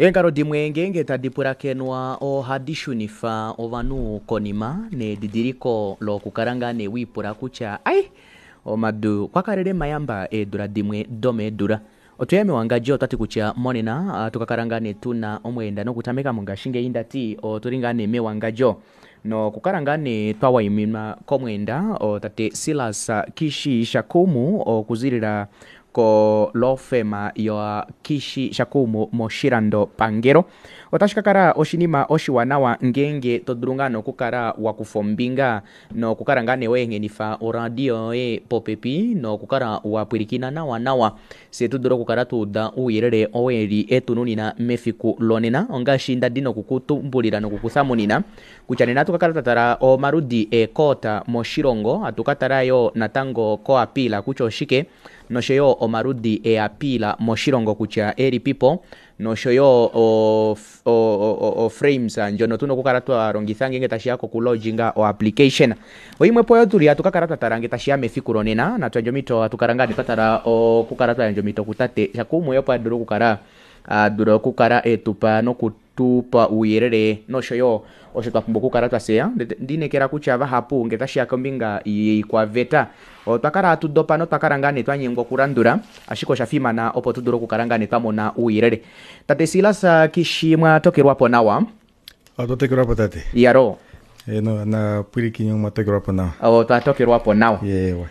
Eenghalo dimwe ngeenge tadi pulakenwa ohadi shunifa ovanhu konima nedidiliko lokukala ngaa nee wiipula kutya ai omadu kwa kalele mayamba eedula dimwe domeedula. Otweya mewangadjo otwati kutya monena ohatu kakala ngaa nee tuna omweenda nokutameka mongashingeyi ndati otuli ngaa nee mewangadjo nokukala ngaa nee twa waiminwa komweenda tate Silas Kishi Shakumu okuzilila ko law firm ya Kishi Shakumu moshilando pangelo. Otashi kakala oshinima oshiwanawa ngeenge todulu ngaa nee okukala wakufa ombinga nokukala ngaa nee weehenifa oradio yoye popepi nokukala wapwilikina nawa nawa fyee tudule okukala twauda ouyelele oo eli etununina mefiku lonena ongaashi ndadi nokukutumbulila nokukuthamunina kutya nena ohatu kakala twatala omaludi eecourt moshilongo hatu katala yoo natango ko appeal kutya oshike noshoyo omaludi ee appeal moshilongo kutya elipipo noshoyo o frames ndjono tuna okukala twalongifa ngeenge tashiya koku lodginga o application. Oimwepo oyo tuli hatu kakala twatala ngee tashiya mefiku lonena natuyandje omhito hatu kala ngaa nee twatala okukala twayandja omhito kutate Shakumu opo adule okukala adula okukala etupa nokutupa ouyelele noshoyo osho twapumbwa okukala twatseya. Ondiinekela kutya vahapu ngee otashiya kombinga yoikwaveta otwa kala hatu dopa notwa ngaa nee twanyengwa okulandula ashike osha fimana opo tudule okukala ngaa nee twamona ouyelele. Tate Silas Kishi mwatokelwapo nawa? Otwa tokelwapo tate. Iyaloo. Eno napwilikine omwa tokelwapo nawa. Otwa tokelwapo nawa. Yewa.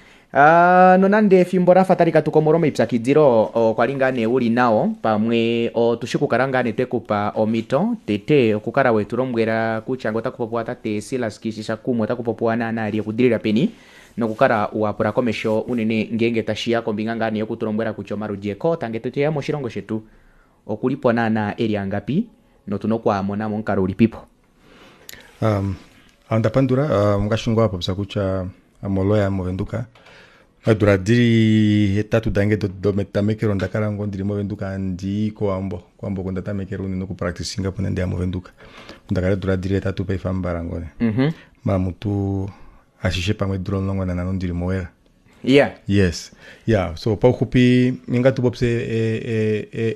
Nonande efimbo lafa tali katuka omolwa omaipyakidilo okwa li ngaa nee uli nao pamwe otushi okukala ngaa nee twekupa omhito tete okukala wetu lombwela kutya ngee otaku popiwa tate Silas Kishi Shakumu otaku popiwa naana ali okudilila peni nokukala wapula komesho unene ngeenge tashiya kombinga ngaa nee yokutulombwela kutya omaludi ecourt ngee teya moshilongo shetu okulipo naana eli angapi notuna okwaamona momukalo ulipipo. Onda pandula ngaashi ngoo wapopya kutya ame oloya movenduka eedula dili 8 dange dometamekelo ondakala ngoo ndili movenduka handii kowambo. Kowambo oko ndatamekela unene oku practicinga opo nee ndeya movenduka. Ndakala eedula dili 8 paife ambala ngoo nee. Mamutu ashishe pamwe eedula 15 ndili mowela. Yeah. Yes. Yeah, so pauxupi ninga tupopye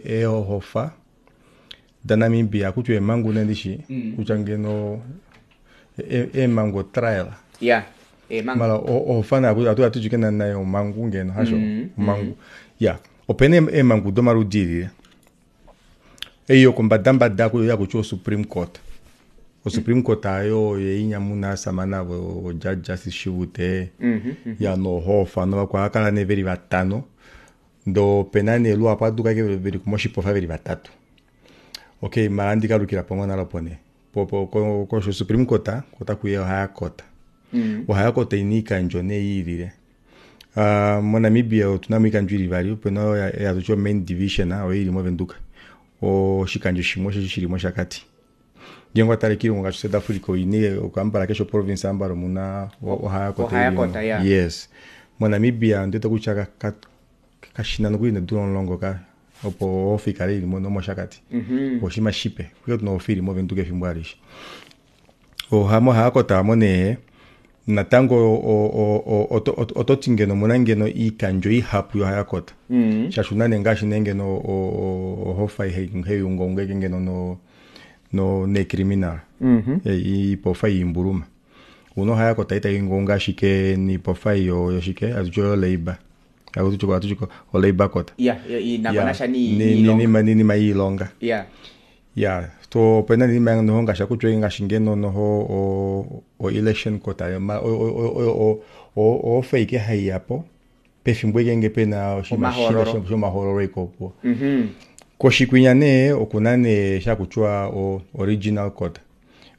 eehofa daNamibia kutya eemhangu nee ndishi kutya ngeno eemhangu otrial. Yeah. Eemhangu. Mala ohofa nayo atu ashike nayo omhangu ngeno hasho omhangu. Yeah. Opena eemhangu domaludi elile. Ei yokombadambada yakutya oSupreme Court. OSupreme Court ayo yeinyamuna asamane avo Judge Justice Shivute ya nohofa novakwa vakala nee veli vatano ndee opena nee luhapu aduka ashike veli moshipofa veli vatatu. Okay mala handi kalukila po ngoo nale opo nee kosho Supreme Court otakuya oHigher Court. OHigher Court oina oikandjo nee yiilile. MoNamibia otuna mo oikandjo ili ivali opena oyo hatuti o main division oyo ili movenduka. Oshikandjo shimwe osho shili mOshakati. Ngeenge owatale koilongo ngaashi South Africa oina okambala keshe province ambala omuna oHigher Court Higher Court, yeah. Yes. MoNamibia ondiwete kutya kashina nokuli needula 10 ka opo ohofa ikale ili mOshakati. Oshinima shipe. Okwa tuna ohofa ili movenduka efimbo alishe. MoHigher Court aamo nee natango ototi ngeno omuna ngeno oikandjo ihapu yoHigher Court. Shaashi una nee ngaashi nee ngeno ohofa hai ungaunga ashike ngeno neecriminal. Oipofa yoimbuluma. Una oHigher Court tai ungaunga ashike noipofa yoshike hatuti oyo labour. Hatuti o labour court. Yeah, inako nasha niilonga. Niinima yiilonga. Yeah. Yeah, so opena niinima noho ngaashi akutya ngaashi ngeno noho o election court ohofa ashike haiyapo pefimbo ngeenge pena oshinima shomahoololo iko opo. Koshikwinya nee okuna nee shakutiwa original court.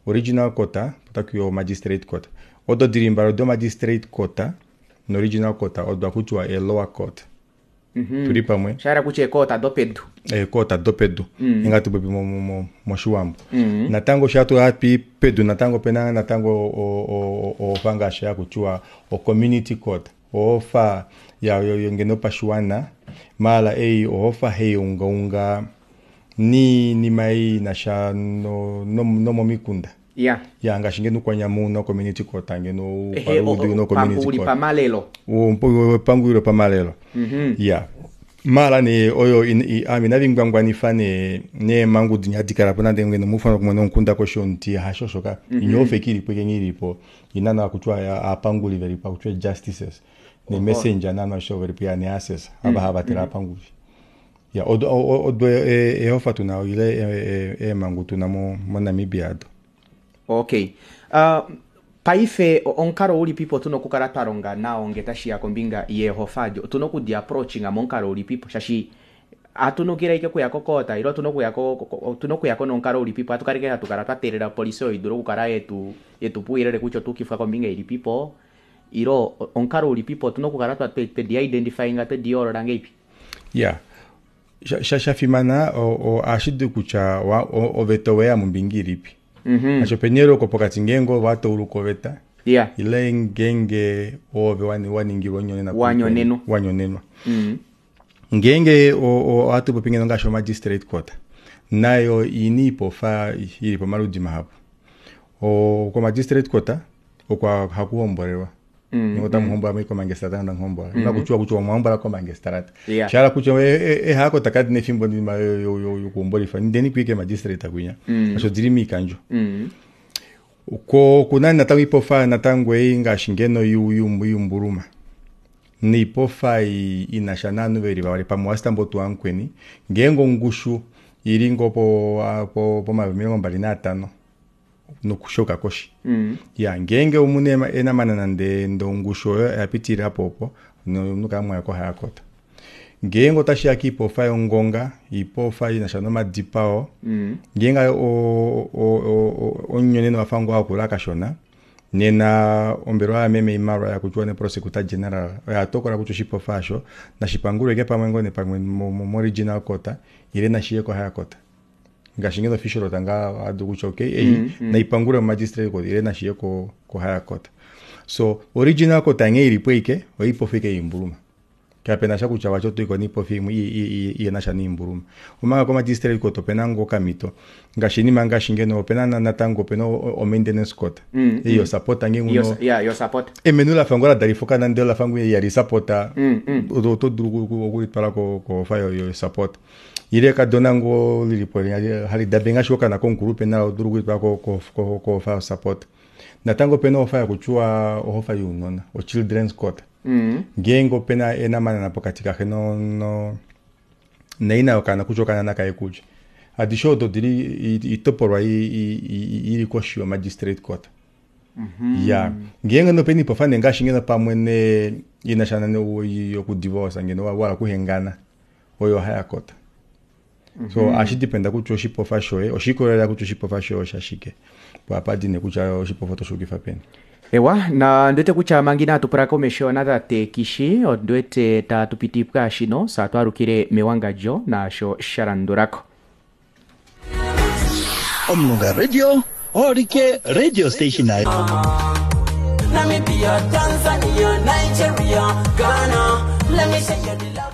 Original court otakuya o magistrate court. Odo dili mbali odo magistrate court no original court odo akutiwa e lower court. Tuli pamwe. Shahala kutya eecourt dopedu. Eecourt dopedu. Inga tupopi moshiwambo. Natango sha hatu pedu natango opena natango ohofa ngaashi hakutiwa o community court. Ohofa ya ngeno pashiwana maala ei ohofa hai ungaunga niinima ei inasha nomomikunda. Yeah. Ya ngaashi ngeno Ukwanyama una community court ngeno Ukwaludi una community court. Pamalelo. Pangulilo pamalelo. Yeah. Mala nee oyo ame inavingwangwanifa nee neemhangu dinya hadi kala po nande ngeno mufana kumwe nomukunda koshi yomuti hasho shoka inya ofeki ilipo ikenge ilipo ina na kutya aapanguli velipo akutya justices ne messenger nana sho velipo ya ne assessor ava hava tela aapanguli ya odo odo ehofa tuna ile eemhangu tuna mo Namibia ado. Okay. Paife omukalo ulipipo tuna okukala twa longa nao nge tashiya kombinga yehofa ado otuna okudi approachinga momukalo ulipipo shashi atunukila ike kuya kokota ilo otuna okuyako nomukalo ulipipo atukaleke hatu kala twa teelela opolisi oyo idule okukala yetu puuyelele kutya otuukifwa kombinga ilipipo ilo omukalo ulipipo otuna okukala twedi identifyinga twedi yoolola ngeipi. Ya shafimana ashidi kutya oveta oweya mombinga ilipi. Asho penyeloko pokati ngeenge ove watauluka oveta ile ngeenge ove waningilwa onyonena wanyonenwa. Ngeenge ohatu popi ngeno ngaashi magistrate court nayo ini ipofa ili pamaludi mahapu. Ko magistrate court okwa hakuhombolelwa. Ota muhombola komangestrata nda muhombola. Nakuchua kutya omuhombola komangestrata. Shala kutya ehako takadi nefimbo ndima yokuhombolifa ndeni kuike magistrate kwinya. Asho dili miikandjo. Ko kuna natango ipofa natango ei ngaashi ngeno yumbuluma. Niipofa inasha naanhu veli vavali pamwe wasitambo tuankweni ngeenge ongushu ili ngo po 25 nokushoka koshi. Ya ngeenge omune enamana nande ndongushu oyo yapitilila po opo noka mwaya ko haya kota. Ngeenge otashi ya kiipofa yongonga ipofa inasha nomadipao ngeenge omunyonene wafa ngoo akula kashona nena ombelewa yameme imalwa yakutya ne prosecutor general oya tokola kutya oshipofa asho nashipangulwe pamwe ngoo nepamwe mo regional court ile nashiye ko haya court. Ngaashi ngeno official tanga adu kutya okay ei naipangule magistrate court ile nashiye ko higher court. So original court nge ilipo ike oipofa ike imbuluma. Kapena sha kutya wacho tuiko nipofa imwe iye nasha niimbuluma. Omanga ko magistrate court opena ngo kamito ngaashi nima ngaashi ngeno opena natango opena o maintenance court. Iyo support nge nguno yo support. Emenu la fango la dalifoka nande la fango ya li support. Oto dulu okulitwala ko fa yo support. Ile kadona ngo lilipo hali dabe ngaashi okana konkulupe na odulu kulitwala ko fa support. Natango opena ofa yakuchua ohofa younona o children's court. Ngeenge opena enamanana pokati kaxe no naina yokana kutya okana nakaye kulya. Adishe odo dili itopolwa ili koshi yo magistrate court. Ya ngeenge nopena ipofa ne ngaashi ngeno pamwe ne inasha yokudivorce ngeno wala kuhengana oyo haya kota. So ashi dependa kutya oshipofa shoye oshikolela kutya oshipofa shoye oshashike. Po apa dine kutya oshipofa otoshukifa peni. Ewa na ndwete kutya mangi natupula komesho natate Kishi ondwete tatupiti pwashino satwalukile mewangadjo nasho shalandulako. Omulunga Radio olike radio station nayo. Namibia, Tanzania, Nigeria, Ghana. Let me say you the love.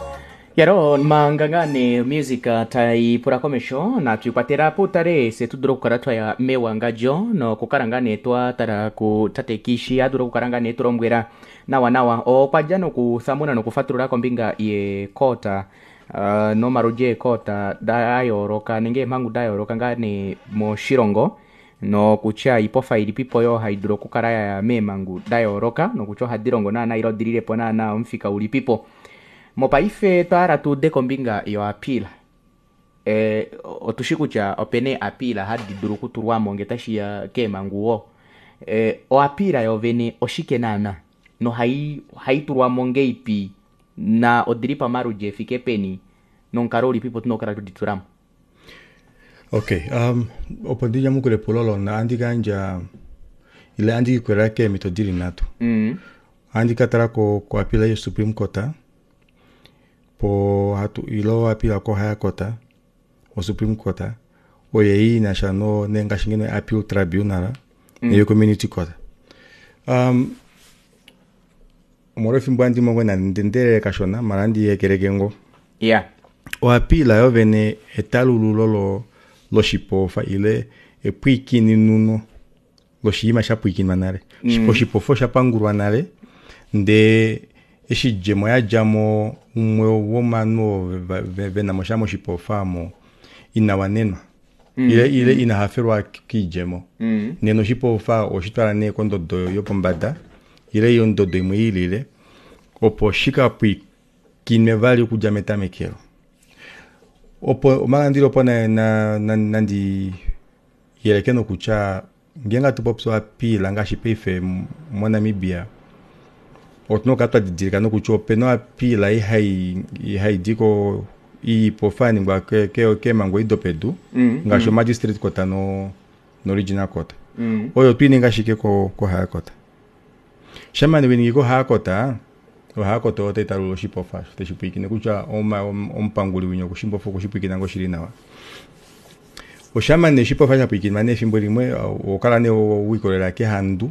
Yaro mangangane music taipula komesho na tuikwatela putale se tudula okukala twaya mewangadjo nokukala nga nee twatala ku tate Kishi adula okukala nga nee tulombwela nawa nawa okwadja nokuthamuna nokufatulula kombinga yekota nomaludji eekota dayooloka nenge eemhangu dayooloka ngaa nee moshilongo nokutya ipofa ilipipo yo haidulu okukala yaya meemhangu dayooloka nokutya ohadi longo naana ile odililepo naana omufika ulipipo. Mopaife twahala tuude kombinga yo appeal. Otushi kutya opena appeal hadi dulu okutulwamo nge tashiya keemhangu wo. Oappeal yovene oshike naana nohai tulwamo ngeipi na odili pamaludji efike peni nomukalo ulipipo tuna okukala tudi tulamo. Okay, opo ndinyamukule epulo lona andi kandja ile andi kikwela keemito dili nhatu. Andi katala ko appeal yo Supreme Court po hatu ilo appeal ko higher court o Supreme Court oye inasha no nengashi ngeno appeal tribunal neyo community court. Omolwefimbo andi mongo na ndendele kashona mala andi yekeleke ngo. O appeal yo vene etalululo loshipofa ile epwikininuno loshiima shapwikinwa nale. Oshipofa oshapangulwa nale nde Eshi djemo yadjamo umwe womovanhu ovo vena mo sha moshipofa omo ina wanenwa ile ile ina hafelwa kiidjemo nena oshipofa oshitwala nee kondodo yopombada ile ondodo imwe ilile opo shikapwikinwe vali okudja metamekelo opo omanga ndili opo nandi yeleke nokutya ngeenge hatu popi oapila ngaashi paife moNamibia otuna okukala twadidilika nokutya opena oapila ei haidi ko iipofa yaningwa keemhangu ei dopedu ngaashi omagistrate court noregional court oyo twiininga ashike kohigher court. Shamane weningi kohigher court, ohigher court oyo tai talulula oshipofa osho teshi pwiikine kutya omupanguli winya okushipwiikina ngoo shili nawa. Oshamane oshipofa shapwiikinwa nee efimbo limwe ohokala nee wiikolelela kehandu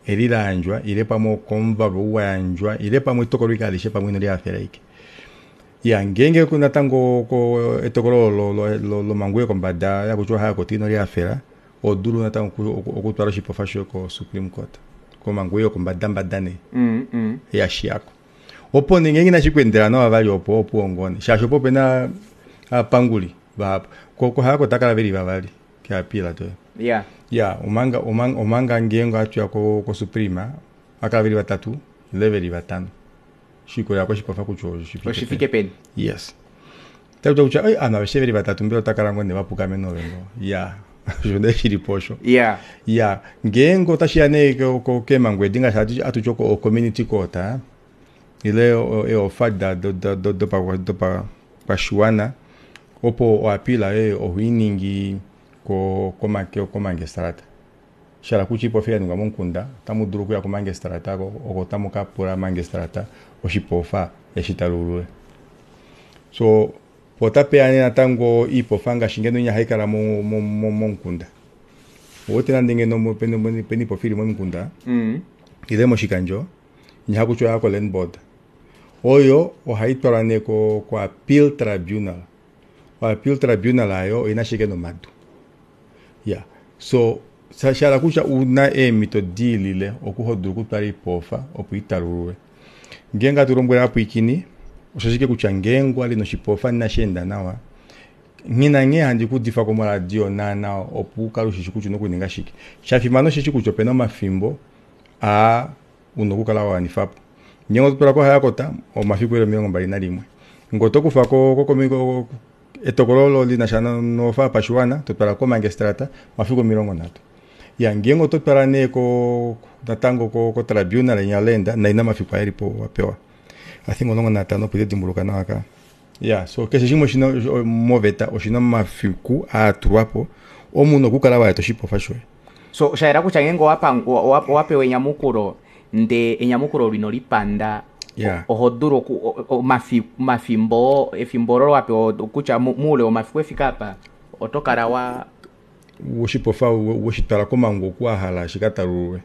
eli layandjwa ile pamwe okomuvalu ou wayandjwa ile pamwe etokolo ike alishe pamwe inolihafela ike. Ya ngeenge natango etokolo lomhangu yokombada yakutya ohigher court inolihafela ohodulu natango okutwala oshipofa shoye ko supreme court komhangu yokombadambada nee yashiyako. Opo nee ngeenge inashi kweendela nawa vali opo opuwo ngoo nee shaashi opo opena ovapanguli vahapu kohigher court otakala veli vavali keappeal doye. Ya omanga omanga ngeenge ohatuya ko supreme ohakala veli vatatu ile veli vatano shiikolelela koshipofa kutya oshifike peni. Yes. Takuti kutya oi ovanhu aveshe veli vatatu mbela otakala ngoo nee vapuka menove ngoo ya osho nee shilipo osho. Ya ngeenge otashiya nee keemhangu edi ngaashi hatuti o community court ile eeofa dopakwashiwana opo oappeal yoye ohoiningi komangestrata. Shala kutya iipofa yaningwa momukunda otamu dulu okuya kumangestrata oko tamu kapula mangestrata oshipofa eshi talulule. So po otapeya nee natango iipofa ngaashi ngeno inya haikala momukunda. Ouwete nande ngeno pena iipofa ili momukunda ile moshikandjo inya hakutiwa oya ko land board oyo ohaitwalwa nee ko appeal tribunal. O appeal tribunal ayo oina ashike nomadu. Ya so shala kutya una eemhito diilile oku hodulu okutwala oipofa opo italululwe. Ngeenge hatu lombwele ovapwiikini osho ashike kutya ngeenge wali noshipofa inashi enda nawa nghina nghee handi kuudifako moradio naana opo ukale ushishi kutya una okuninga shike. Shafimana osheshi kutya opena omafimbo aa una okukala wawanifapo. Ngeenge oto twala kohigher court omafiku eli 21. Ngee oto kufa etokolo olo linasha nofa yopashiwana totwala komangestrata omafiku 30. Ya ngeenge oto twala nee natango ko tribunal inya land naina omafiku aelipo wapewa. I think 15 opo itedimbuluka nawa ka. Ya so keshe shimwe oshina moveta oshina omafiku aatulwapo omunhu okukala waeta oshipofa shoye. So shayela kutya ngeenge owapewa enyamukulo nde enyamukulo lino lipanda oho dulu omafimbo efimbo olo wapewa kutya muule womafiku efika apa oto kala wa oshipofa weshitwala komhangu oku wahala shikatalululwe.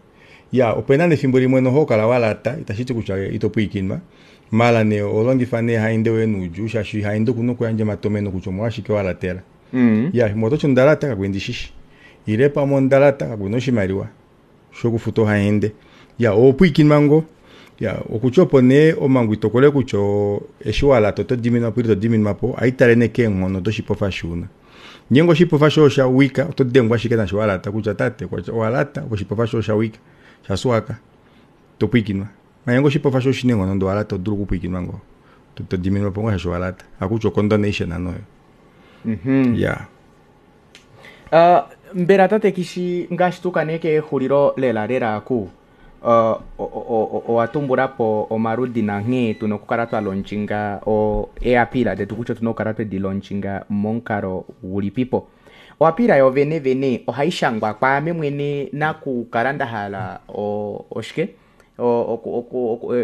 Ya opena nefimbo limwe noho kala walata itashiti kutya ito pwiikinwa mala nee oholongifa nee hainde woye nuudjuu shaashi hainde okuna okuyandja omatomeno kutya omolwashike walatela. Ya imwe ototi ondalata kakuli ndishishi ile pamwe ondalata kakuna oshimaliwa shokufuta ohaende. Ya ohopwiikinwa ngoo ya okutya opo nee omhangu itokole kutya eshi walata oto diminwapo ile ito diminwapo ohaitale nee keenghono doshipofa eshi una. Ngeenge oshipofa shoye oshawika oto dengwa ashike nasho walata kutya tate owalata oshipofa shoye oshawika shasuwaka topwiikinwa. Ngeenge oshipofa shoye oshina eenghono ndee owalata oto dulu okupwiikinwa ngoo to diminwapo ngoo shaashi owalata hakutya ocondonation oyo. Ya. Mbela tate kishi ngaashi tuka nee kexulilo lela lela ku owa tumbulapo omaludi nanghee tuna okukala twa launchinga eappeal detu kutya otuna okukala twedi launchinga momukalo ulipipo. Oappeal yo vene vene ohai shangwa kwaame mwene nakukala ndahala oshike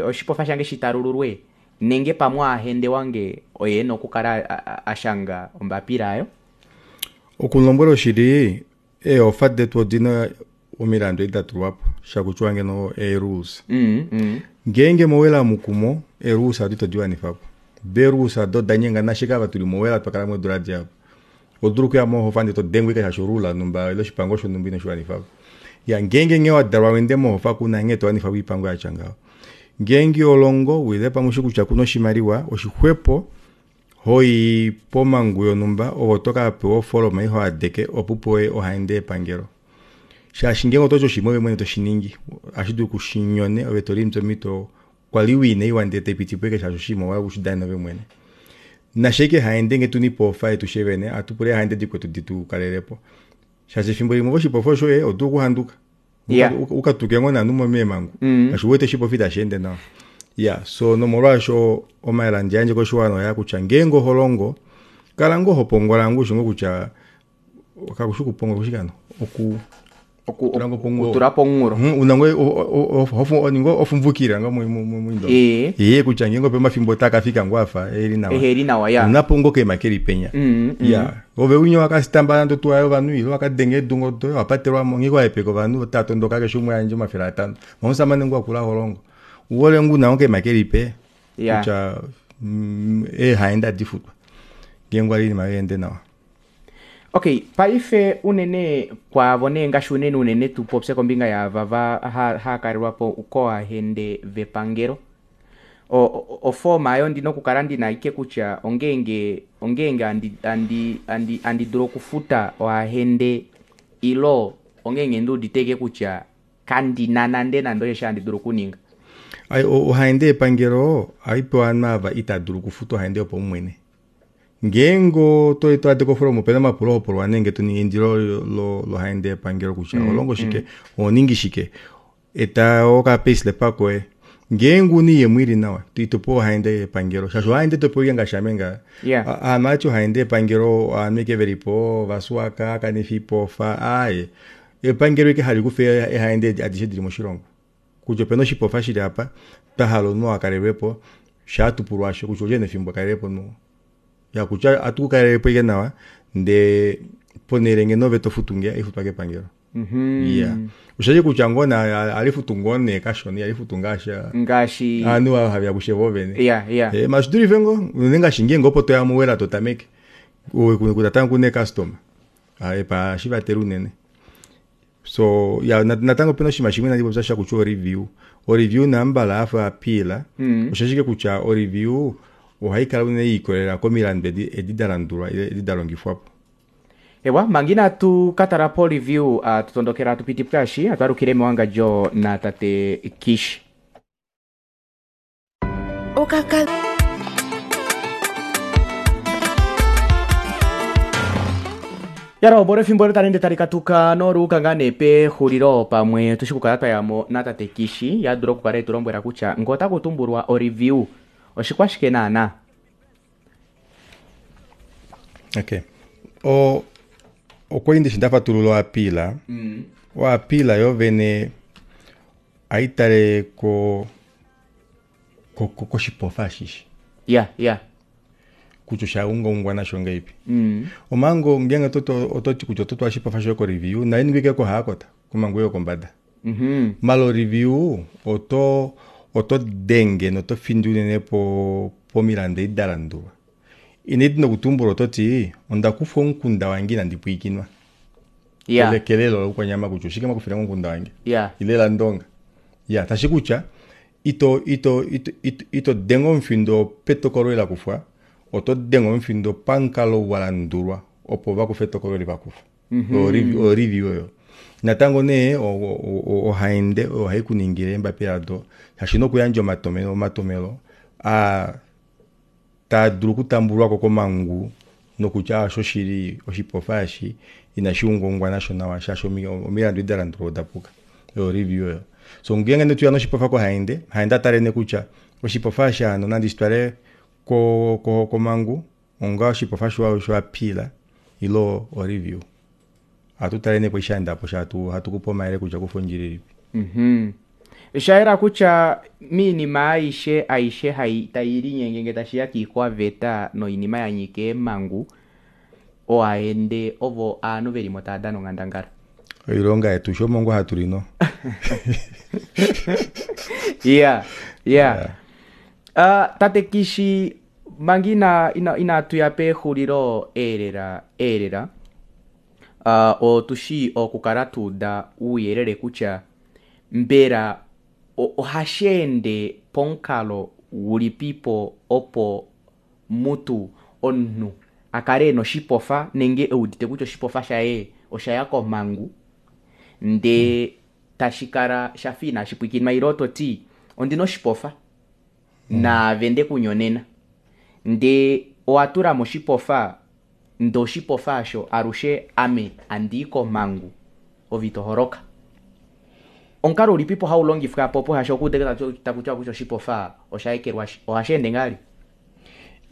oshipofa shange shitalululwe nenge pamwe ahende wange oye ena okukala ashanga ombapila ayo. Okulombwela oshili eeofa detu odina omilandu edi datulwapo shakutiwa ngeno ee-rules. Ngeenge mowela mukumo ee-rules ado ito diwanifapo. De-rules ado odanyengana ashike ava tuli mowela twakala modula dihapu. Odulu okuya mohofa ndee todengwa ike shaashi orule numba ile oshipango shonumba inoshiwanifapo. Ya ngeenge nghee wadalwa wende mohofa kuna nghee towanifapo oipango yatya ngaho. Ngeenge olongo wile pamwe ushi kutya kuna oshimaliwa, oshixwepo hoi pomangu yonhumba ove oto ka pewa ofoloma iho adeke opo upewe ohaende yepangelo. Shaashi ngeenge ototi oshinima ove mwene toshiningi ohashi dulu kushinyone ove tolimbi omhito kwali wina iwa ndee taipitipo ashike shaashi oshinima owahala okushidanena ove mwene. Nasha ashike haende ngee tuna oipofa yetu fyee vene ohatu pula eehaende dikwetu ditukalelepo shaashi efimbo limwe oshipofa shoye odulu okuhanduka ukatuke ngoo novanhu meemangu shaashi uwete oshipofa itasheende nawa. Iya so nomolwaasho omayele handi yandje koshiwana oyaa kutya ngeenge oholongo kala ngoo hopongola ngoo ushi ngoo kutya kakushi okupongola okushike hano oku okutula pomunghulo una ngoo ninga ofumvukila ngoo moindonga ee kutya ngeenge ope omafimbo otaa kafika ngoo afa eli nawa eheli nawa ya unapo ngoo keema keli penya ya ove winya wakasitamba nande otuwa yovanhu ile wakadenga eedungo doye wapatelwamo nghee wahepeka ovanhu otava tondoka keshe umwe ayandje 500 omusamane ngoo akula holongo uhole ngoo una ngoo keema kelipe kutya eehaende adi futwa ngeenge wali oinima yoye yeende nawa. Okay, paife unene kwaavo nee ngaashi unene unene tupopye kombinga yaava va haakalelwa po koohahende vepangelo. Ofooma ayo ndina okukala ndina ike kutya ongeenge ongeenge andi andi andi andi dulu okufuta ohahende ilo ongeenge ndiudite ike kutya kandina nande nande osho handi dulu okuninga. Ohahende yepangelo ohaipewa ovanhu ava itava dulu okufuta ohahende yopaumwene. Ngeenge oto to ade kofolomo opena omapulo hopulwa nenge to ningi eindilo lohaende yepangelo kutya oholongo shike ohoningi shike eta oka payslip koye. Ngeenge una oiyemo ili nawa ito pewa ohaende yepangelo shaashi ohaende topewa ashike ngaashi ame ngaha. Ovanhu ohati ohaende yepangelo ovanhu ashike velipo ovaswaka kanifa oipofa aaye epangelo ashike hali kufa eehaende adishe dili moshilongo. Kutya opena oshipofa shili apa twahala omunhu akalelwepo shaatupulwa asho kutya olyene efimbo akalelepo omunhu ya kutya ohatu kukalelepo ashike nawa ndee ponele ngeno ove tofutu nge ohaifutwa kepangelo. Iya oshashi kutya ngoo nee ohalifutu ngoo nee kashona ihalifutu ngaashi ngaashi ovanhu ava haveya kushe voovene. Iya iya mashi oshidulife ngoo unene ngaashi ngeenge opo toya mowela totameke natango kuna eecustoma ohashi vatele unene. So ya natango opena oshinima shimwe inandi popya sha kutya oreview. Oreview nambala afa appeal osha ashike kutya oreview ohaikala unene yiikolelela komilandu edi dalandulwa ile edi dalongifwapo. Ewa, manga inatu ka tala po review tutondokela tupiti pwaashi atwalukile mewangadjo na tate Kish. Okaka Yaro bora efimbo olo tali ende tali katuka noluuka ngaa nee pexulilo pamwe tushi kukala twayamo natate Kishi yadula okukala etulombwela kutya ngee otaku tumbulwa oreview oshikwashike naana. Okay okwali ndishi ndafatulula oapila oapila yovene ohaitale ko koshipofa ashishe. Ya ya kutya oshaungaungwa nasho ngahelipi. Omanga ngeenge ototi kutya ototwala oshipofa shoye ko review nayo iningwe ashike kohaakota komhangu yokombada. Maala oreview oto oto denge noto findi unene pomilandu edi dalandulwa. Ina edi nokutumbula ototi ondakufwa omukunda wange inandi pwilikinwa kelelo loukwanyama kutya oshike mwakufilenge omukunda wange ile landonga. Ya tashi kutya ito ito ito ito denge omufindo petokolo eli lakufwa oto denge omufindo pamukalo ou walandulwa opo vakufe etokolo eli vakufa. Oyo review oyo. Natango nee ohaende oyo haikuningile eembapila odo shaashi ino kuyandja omatomelo omatomelo aa taa dulu okutambulwako komangu nokutya oshoshili oshipofa eshi inashi ungaungwa nasho nawa shaashi omilandu edi dalandulwa odapuka. Oyo review oyo. So ngeenge nee toya noshipofa kohaende, haende atale nee kutya oshipofa eshi hano nandi shitwale komangu onga oshipofa sho appeal ile oreview. Ohatu tale nee eshi shaendapo hatu kupe omayele kutya kufa ondjila ilipi. Oshayela kutya miinima aishe aishe hai tayi linyenge ngee tashiya kiikwaveta noinima yanyika eemhangu oohahende ovo ovanhu velimo tava dana onghandangala. Oilonga yetu sho omo ngoo hatu lino. Iya iya tate Kishi manga ina ina inatuya pexulilo eelela eelela otushi okukala tuuda ouyelele kutya mbela ohasheende Pomukalo ulipipo opo mutu omunhu a kale ena oshipofa nenge eudite kutya oshipofa shaye oshaya komhangu ndee tashi kala shafa inashi pwikinwa ile toti ondina oshipofa naave ndekunyonena ndee owa tulamo oshipofa ndee oshipofa aasho alushe ame andii komhangu ove ito holoka. Omukalo ulipipo haulongifwa apo opo shaashi okuudite takutiwa kutya oshipofa osha ekelwashi ohashi ende ngahelipi?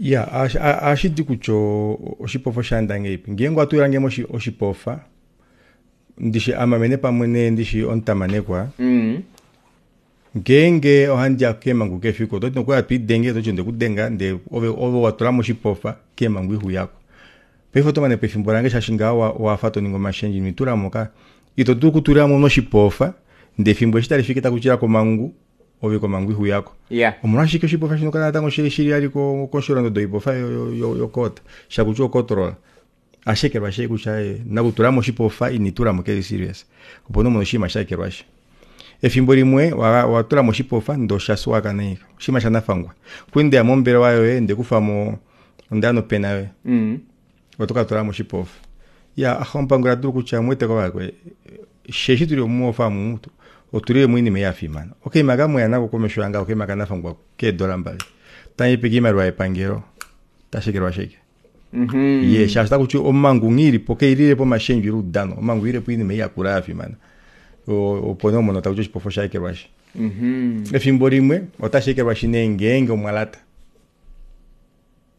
Ya ohashi di kutya oshipofa oshaenda ngahelipi. Ngeenge owatulange oshipofa ndishi amamene pamwe nee ndishi omutamanekwa ngeenge ohandiya keemangu kefiku ototi nokuli hatwiidenge toti ondekudenga ndee ove ove watulamo oshipofa keemangu ihuyako. Paife otomanepo efimbo lange shaashi ngaho owafa toningi omashendjo ino itulamo ka ito dulu okutulamo oshipofa ndee efimbo eshi talifiki takutila komangu ove komangu ihuyako. Omolwashike oshipofa shino kala natango shili shili ali kosholondodo oipofa yokoota shakutya okotrola ashekelwa shee kutya nakutulamo oshipofa initulamo keli serious. Opo nee omono oshinima shaekelwashi. Efimbo limwe watulamo oshipofa ndee oshasuwaka nee oshinima shanafangwa. Kwali mombelewa yoye ndekufamo ondeya nopena yoye. Oto katulamo oshipofa. Iya omupanguli adulu kutya muweteko vakwe sheshi tuli muofa omu otulilemo oinima ei yafimana. Okaima kamweya nako komesho yange okaima kanafangwa keedola 2 tandipe kiimaliwa yepangelo tashekelwa shike. Ye shaashi takuti omangu nghilipo keililepo omashendjo ile oudano omangu oililepo oinima ei yakula yafimana. Opo nee omono takuti oshipofa oshaekelwashi. Efimbo limwe otashi ekelwashi nee ngeenge omwalata.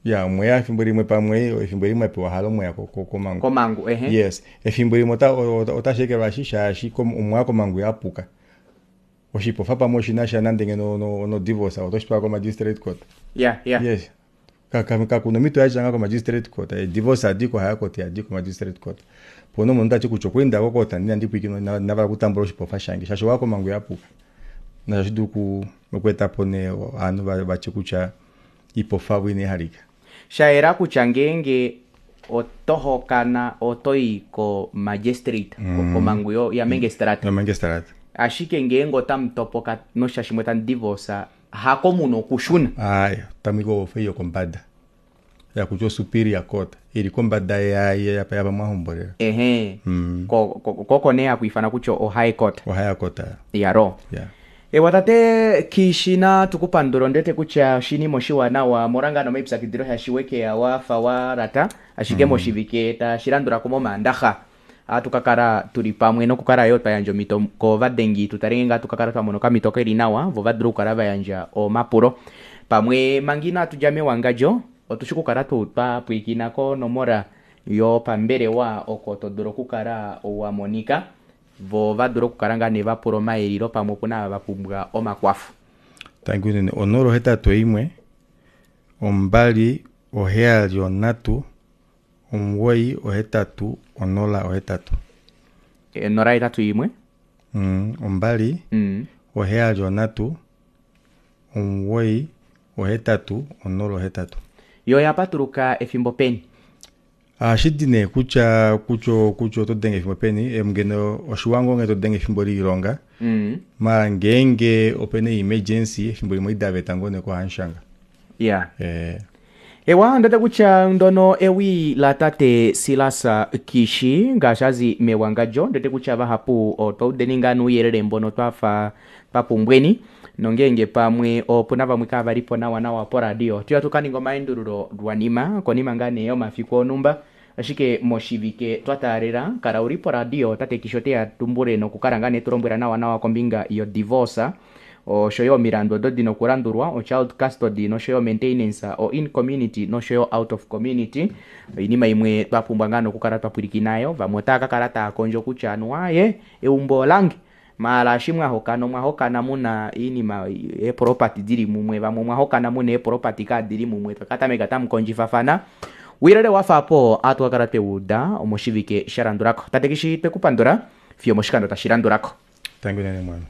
Ya omweya efimbo limwe pamwe efimbo limwe apewa halo omweya komangu. Komangu ehe. Yes, efimbo limwe otashi ekelwashi shaashi omwaya komangu yapuka. Oshipofa pamwe oshinasha nande ngeno no divorce otoshi twala ko magistrate court. Yes. Kakuna omhito yatya ngaho ko magistrate court. Divorce adiko higher court adiko magistrate court. Opo nee omunhu tati kutya okwa enda ko court inandi pwiikinwa inavala okutambula oshipofa shange shaashi owaya komangu yapuka. Nasho ohashi dulu okweetapo nee ovanhu vatye kutya iipofa avo inaihalika. Shayela kutya ngeenge oto hokana otoyi ko magistrate komangu ya mengestrata. Ya mengestrata. Ashike ngeenge otamu topoka nosha shimwe tamu divorce hako muna okushuna. Ayi tamu i kofa yokombada yakutya superior court ili kombada yapa mwahombolela. Ehe. Koko nee haku ifana kutya o high court. O high court. Yaro. Yeah. Ewa tate Kishina tukupandula ondete kutya oshinima oshiwanawa molanga nomaipyakidilo shashiwekeya wafa walata ashike moshivike tashilandulako momaandaxa ohatu kakala tuli pamwe nokukala yo twayandja omhito kovadengi tutale ngaa tukakala twamona okamhito keli nawa vo vadule okukala vayandja omapulo. Pamwe manga inatu dja mewangadjo otushi okukala tuu twapwiikina konomola yopambelewa oko todulu okukala wamonika vo vadule okukala ngaa nee vapula omayelilo pamwe opuna ava vapumbwa omakwafo. Thank you nene 081 2 7 3 9 8 0 8. 081 2 7 9 8 0 8. Yo yapatuluka efimbo peni? Ohashi nee kutya kutya kutya oto denge efimbo peni ngeno oshiwango nge to denge efimbo loilonga. Mara ngeenge opena emergency efimbo limwe idaveta ngoo nee kohamushanga. Ewa ndete kutya ndono ewi la tate Silas Kishi ngaashi azi mewangadjo ndete kutya vahapu otwaudeni ngaa nuuyelele mbono twafa twapumbweni nongeenge pamwe opuna vamwe kavalipo nawa nawa poradio tuya tukaninga omaendululo lwanima konima ngaa nee yomafiku onumba ashike moshivike twataalela kala uli poradio tate Kishi oteya tumbule nokukala ngaa nee tulombwela nawa nawa kombinga yo divorce oshoyo omilandu odo dina okulandulwa o child custody noshoyo maintenance o in community noshoyo out of community. Oinima imwe twapumbwa ngaa nokukala twapwilikinayo vamwe otaya kakala taya kondjo kutya anuwa eumbo olange maala eshi mwahokana omwahokana muna iinima eepropati dili mumwe vamwe omwahokana muna eepropati kadili mumwe tokatameka tamu kondjifafana. Uuyelele wafa apo ohatu kakala twewuuda omoshivike shalandulako. Tate Kishi twekupandula fiyo moshikando tashi landulako. Thank you nene mwana.